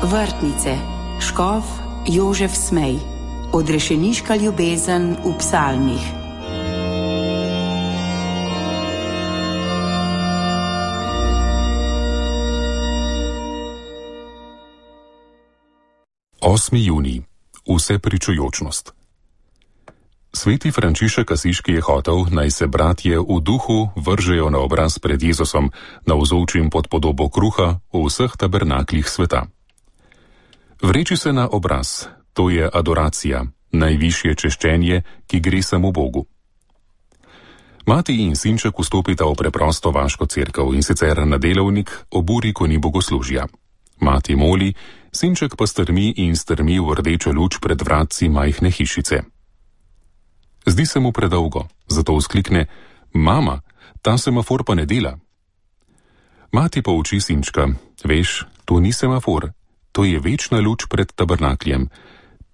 Vrtnice, škof Jožef Smej, odrešeniška ljubezen v psalmih. Osmi junij. Vsepričujočnost. Sveti Frančišek Asiški je hotel, naj se bratje v duhu vržejo na obraz pred Jezusom, navzočim pod podobo kruha v vseh tabernaklih sveta. Vreči se na obraz, to je adoracija, najvišje češčenje, ki gre samo Bogu. Mati in sinček vstopita v preprosto vaško cerkev, in sicer na delovnik ob uri, ko ni bogoslužja. Mati moli, sinček pa strmi in strmi v rdečo luč pred vratci majhne hišice. Zdi se mu predolgo, zato vzklikne: "Mama, ta semafor pa ne dela." Mati pa uči sinčka: "Veš, to ni semafor, to je večna luč pred tabernakljem.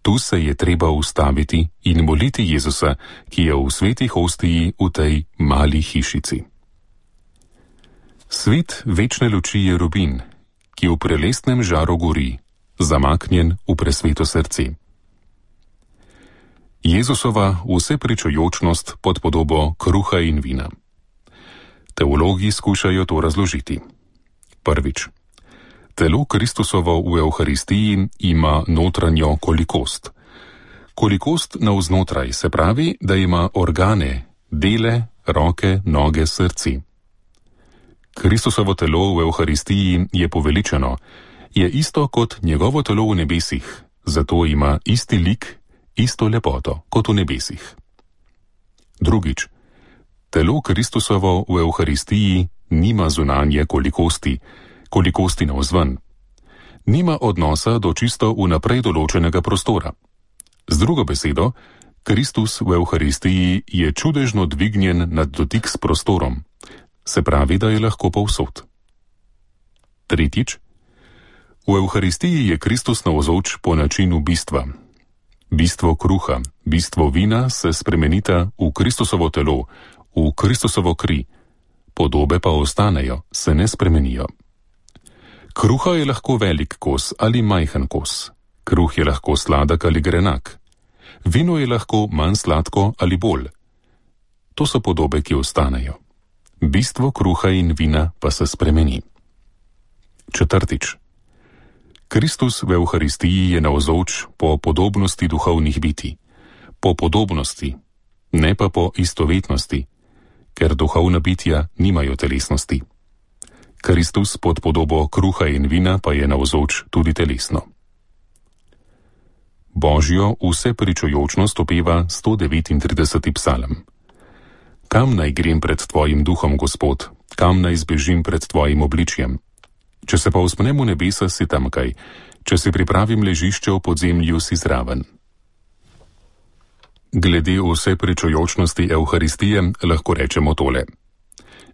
Tu se je treba ustaviti in moliti Jezusa, ki je v sveti hostiji v tej mali hišici." Svet večne luči je rubin, ki v prelestnem žaru gori, zamaknjen v presveto srce. Jezusova vsepričujočnost pod podobo kruha in vina. Teologi skušajo to razložiti. Prvič. Telo Kristusovo v Evharistiji ima notranjo kolikost. Kolikost navznotraj se pravi, da ima organe, dele, roke, noge, srci. Kristusovo telo v Evharistiji je poveličeno, je isto kot njegovo telo v nebesih, zato ima isti lik, isto lepoto kot v nebesih. Drugič. Telo Kristusovo v Evharistiji nima zunanje kolikosti navzven. Nima odnosa do čisto vnaprej določenega prostora. Z drugo besedo, Kristus v Evharistiji je čudežno dvignjen nad dotik s prostorom, se pravi, da je lahko povsod. Tretjič. V Evharistiji je Kristus navzoč po načinu bistva. Bistvo kruha, bistvo vina se spremenita v Kristusovo telo, v Kristusovo kri, podobe pa ostanejo, se ne spremenijo. Kruha je lahko velik kos ali majhen kos. Kruh je lahko sladek ali grenak. Vino je lahko manj sladko ali bolj. To so podobe, ki ostanejo. Bistvo kruha in vina pa se spremeni. Četrtič. Kristus v Evharistiji je navzoč po podobnosti duhovnih bitij. Po podobnosti, ne pa po istovetnosti, ker duhovna bitja nimajo telesnosti. Kristus pod podobo kruha in vina pa je navzoč tudi telesno. Božjo vsepričujočnost opeva 139. psalm. Kam naj grem pred tvojim duhom, Gospod, kam naj zbežim pred tvojim obličjem? Če se pa vzpnem v nebesa, si tamkaj, če si pripravim ležišče v podzemlju, si zraven. Glede vsepričujočnosti Evharistije lahko rečemo tole.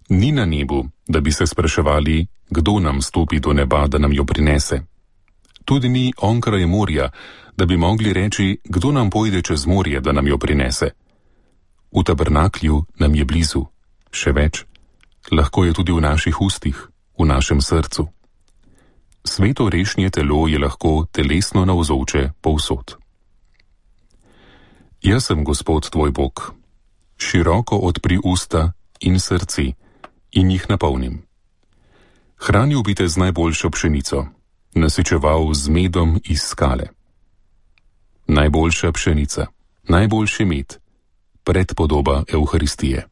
Ni na nebu, da bi se spraševali, kdo nam stopi do neba, da nam jo prinese. Tudi ni onkraj morja, da bi mogli reči, kdo nam pojde čez morje, da nam jo prinese. V tabernaklju nam je blizu, še več, lahko je tudi v naših ustih, v našem srcu. Sveto rešnje telo je lahko telesno navzoče povsod. Jaz sem Gospod tvoj Bog. Široko odpri usta in srce in jih napolnim. Hranil bi te z najboljšo pšenico, nasičeval z medom iz skale. Najboljša pšenica, najboljši med, predpodoba Evharistije.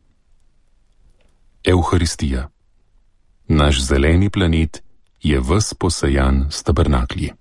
Evharistija. Naš zeleni planet je ves posejan s tabernaklji.